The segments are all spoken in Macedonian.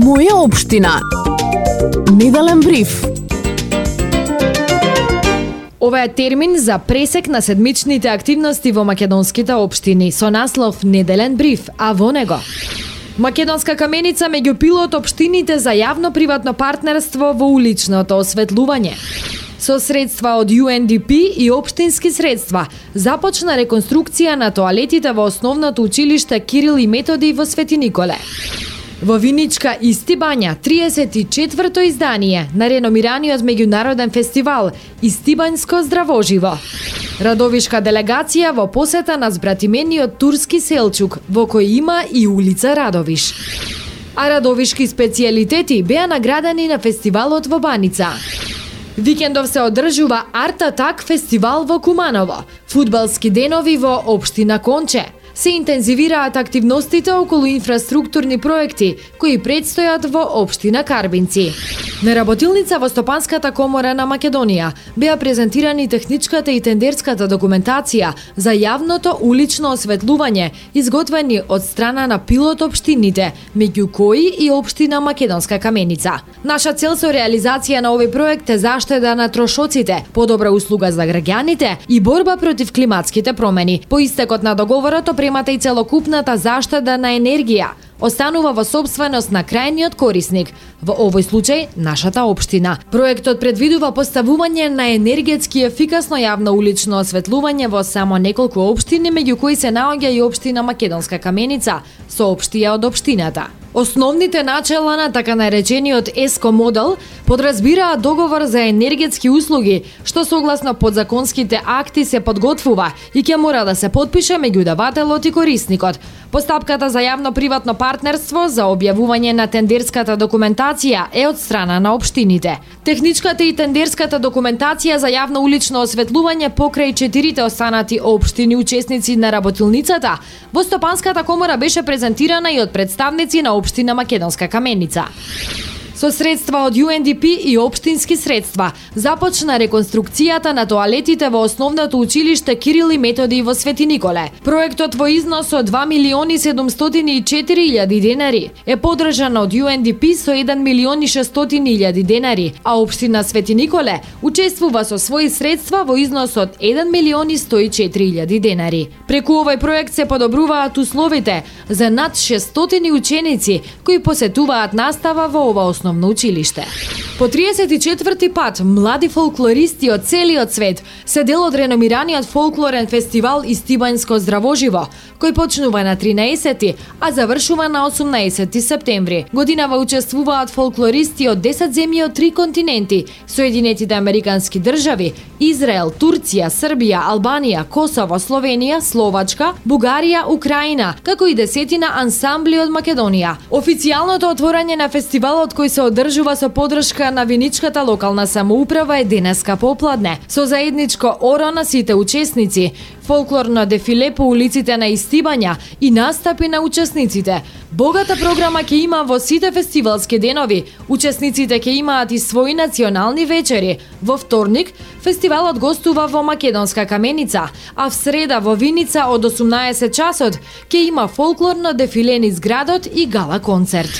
Моја општина. Неделен бриф. Ова е термин за пресек на седмичните активности во македонските општини со наслов Неделен бриф, а во него Македонска каменица меѓу пилот општините за јавно-приватно партнерство во уличното осветлување. Со средства од UNDP и општински средства започна реконструкција на тоалетите во основното училиште Кирил и Методи во Свети Николе. Во Виничка Исти бања 34-то издание на реномираниот меѓународен фестивал Истибањско здравоживо. Радовишка делегација во посета на збратимениот турски Селчук, во кој има и улица Радовиш. А радовишки специјалитети беа наградени на фестивалот во Баница. Викендов се одржува Арт Атак фестивал во Куманово, фудбалски денови во општина Конче. Се интензивираат активностите околу инфраструктурни проекти кои предстојат во општина Карбинци. На работилница во Стопанската комора на Македонија беа презентирани техничката и тендерската документација за јавното улично осветлување, изготвени од страна на пилот општините, меѓу кои и општина Македонска каменица. Наша цел со реализација на овој проект е заштеда на трошоците, подобра услуга за граѓаните и борба против климатските промени. По истекот на договорот опремата и целокупната заштеда на енергија останува во сопственост на крајниот корисник, во овој случај нашата општина. Проектот предвидува поставување на енергетски ефикасно јавно улично осветлување во само неколку општини, меѓу кои се наоѓа и општина Македонска каменица, соопштија од општината. Основните начела на така наречениот ЕСКО модел подразбираат договор за енергетски услуги, што согласно подзаконските акти се подготвува и ќе мора да се подпише меѓу давателот и корисникот. Постапката за јавно-приватно партнерство за објавување на тендерската документација е од страна на општините. Техничката и тендерската документација за јавно улично осветлување покрај 4 останати општини учесници на работилницата во Стопанската комора беше презентирана и од представници на општина Македонска каменица. Со средства од UNDP и општински средства започна реконструкцијата на тоалетите во основното училиште Кирил и Методи во Свети Николе. Проектот во износ од 2.704.000 денари е поддржан од UNDP со 1.600.000 денари, а општина Свети Николе учествува со своји средства во износ од 1.104.000 денари. Преку овој проект се подобруваат условите за над 600 ученици кои посетуваат настава во ова основно училиште. По 34-ти пат млади фолклористи од целиот свет се дел од реномираниот фолклорен фестивал Истибањско здравоживо, кој почнува на 13, а завршува на 18 септември. Годинава учествуваат фолклористи од 10 земји од 3 континенти: Соединетите американски држави, Израел, Турција, Србија, Албанија, Косово, Словенија, Словачка, Бугарија, Украина, како и десетина ансамбли од Македонија. Официјалното отворање на фестивалот, кој се одржува со поддршка на Виничката локална самоуправа, е денеска попладне, со заедничко оро на сите учесници, фолклорно дефиле по улиците на Истибања и настапи на учесниците. Богата програма ќе има во сите фестивалски денови. Учесниците ќе имаат и своји национални вечери. Во вторник фестивалот гостува во Македонска каменица, а в среда во Виница од 18 часот ќе има фолклорно дефиле низ градот и гала концерт.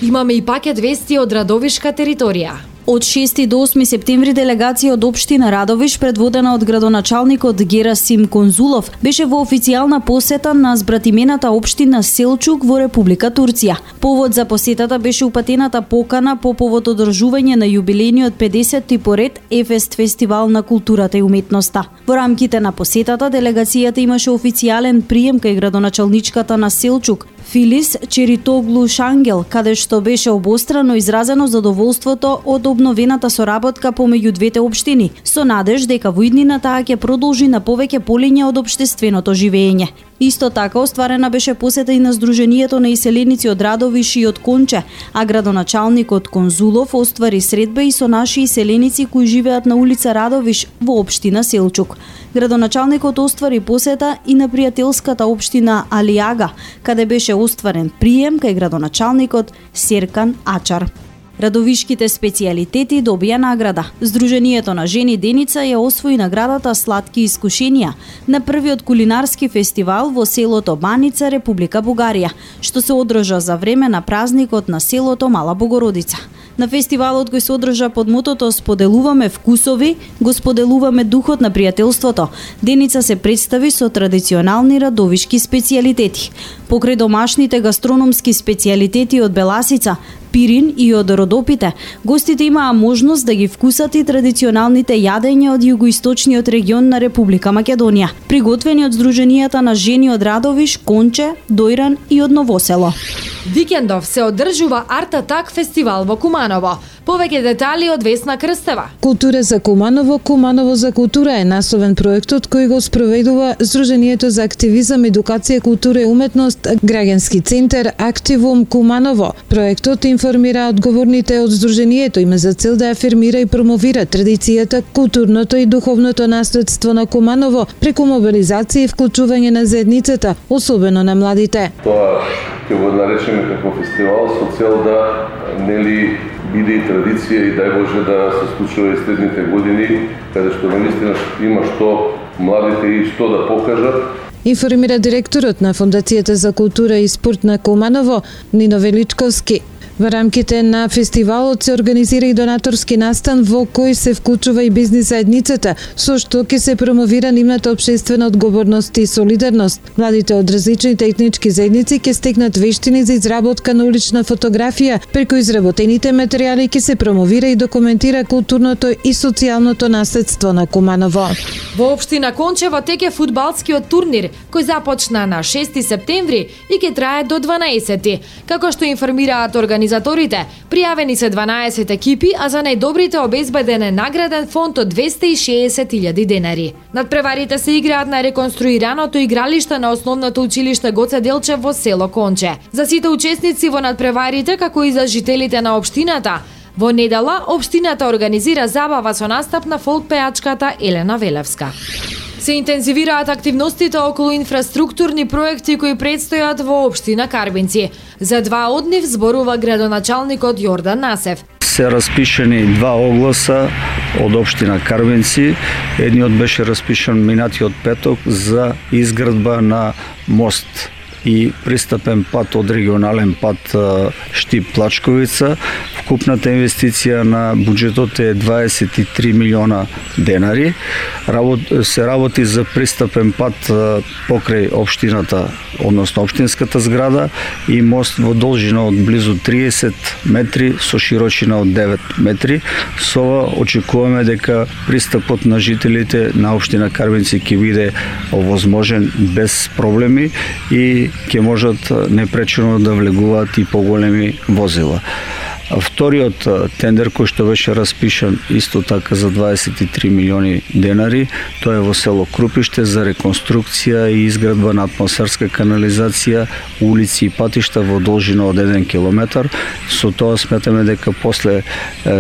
Имаме и пакет вести од радовишка територија. Од 6 до 8 септември делегација од општина Радовиш, предводена од градоначалникот Герасим Конзулов, беше во официјална посета на збратимената општина Селчук во Република Турција. Повод за посетата беше упатената покана по повод одржување на јубилејниот 50-ти поред Ефест фестивал на културата и уметноста. Во рамките на посетата делегацијата имаше официјален прием кај градоначалничката на Селчук, Филис Черитоглу Шангел, каде што беше обострано изразено задоволството од обновената соработка помеѓу двете општини, со надеж дека во иднина таа ќе продолжи на повеќе полиња од општественото живење. Исто така остварена беше посета и на Сдруженијето на иселеници од Радовиш и од Конче, а градоначалникот Конзулов оствари средба и со наши иселеници кои живеат на улица Радовиш во општина Селчук. Градоначалникот оствари посета и на пријателската општина Алијага, каде беше остварен прием кај градоначалникот Серкан Ачар. Радовишките специјалитети добија награда. Сдруженијето на жени Деница ја освои наградата Сладки искушенија на првиот кулинарски фестивал во селото Баница, Република Бугарија, што се одржа за време на празникот на селото Мала Богородица. На фестивалот кој се одржа под мотото "Споделуваме вкусови, го споделуваме духот на пријателството", Деница се представи со традиционални радовишки специјалитети. Покрај домашните гастрономски специјалитети од Беласица, Пирин и од Родопите, гостите имаа можност да ги вкусат и традиционалните јадења од југоисточниот регион на Република Македонија, приготвени од Сдруженијата на жени од Радовиш, Конче, Дојран и од Новосело. Викендов се одржува Арт Атак фестивал во Куманово. Повеќе детали од Весна Крстева. Култура за Куманово, Куманово за култура е насловен проектот кој го спроведува Сдруженијето за активизам, едукација, култура и уметност, граѓански центар Активум Куманово. Проектот информира одговорните од Сдруженијето, има за цел да афирмира и промовира традицијата, културното и духовното наследство на Куманово преку мобилизација и вклучување на заедницата, особено на младите. Тоа ќе го наречеме како фестивал со цел да нели биде и традиција и дај Боже да се случува и следните години, каде што наистина има што младите и што да покажат. Информира директорот на Фондацијата за култура и спорт на Куманово, Нино Величковски. Во рамките на фестивалот се организира и донаторски настан во кој се вклучува и бизнис заедницата, со што ќе се промовира нивната општествена одговорност и солидарност. Младите од различните етнички заедници ќе стекнат вештини за изработка на улична фотографија, преку изработените материјали ќе се промовира и документира културното и социјалното наследство на Куманово. Во општина Кончево теке фудбалскиот турнир, кој започна на 6 септември и ќе трае до 12. Како што информираат организаторите, пријавени се 12 екипи, а за најдобрите обезбеден е награден фонд од 260.000 денари. Надпреварите се играат на реконструираното игралиште на основното училиште Гоце Делчев во село Конче. За сите учесници во надпреварите, како и за жителите на општината, во недела општината организира забава со настап на фолк пејачката Елена Велевска. Се интензивираат активностите околу инфраструктурни проекти кои предстојат во општина Карбинци. За два од нив зборува градоначалникот Јордан Насев. Се распишени два огласа од општина Карбинци. Едниот беше распишан минатиот петок за изградба на мост и пристапен пат од регионален пат Штип-Плачковица. Вкупната инвестиција на буџетот е 23 милиона денари. Се работи за пристапен пат покрај општината, односно општинската зграда и мост во должина од близу 30 метри со широчина од 9 метри. Со ова очекуваме дека пристапот на жителите на општина Карбинци ќе биде овозможен без проблеми и ќе можат непречено да влегуваат и поголеми возила. Вториот тендер кој што беше распишан исто така за 23 милиони денари, тоа е во село Крупиште за реконструкција и изградба на атмосферска канализација, улици и патишта во должина од 1 километар. Со тоа сметаме дека после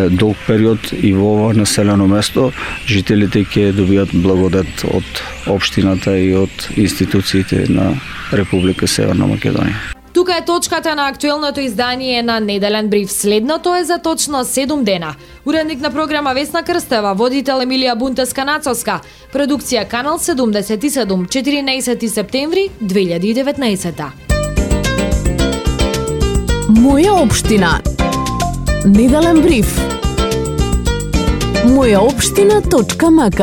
долг период и во ова населено место жителите ќе добијат благодат од општината и од институциите на Република Северна Македонија. Тука е точката на актуелното издание на Неделен бриф. Следното е за точно 7 дена. Уредник на програма Весна Крстева, водител Емилија Бунтеска-Нацовска, продукција Канал 77, 14 септември 2019. Моја општина. Неделен бриф. Мојаопштина.мк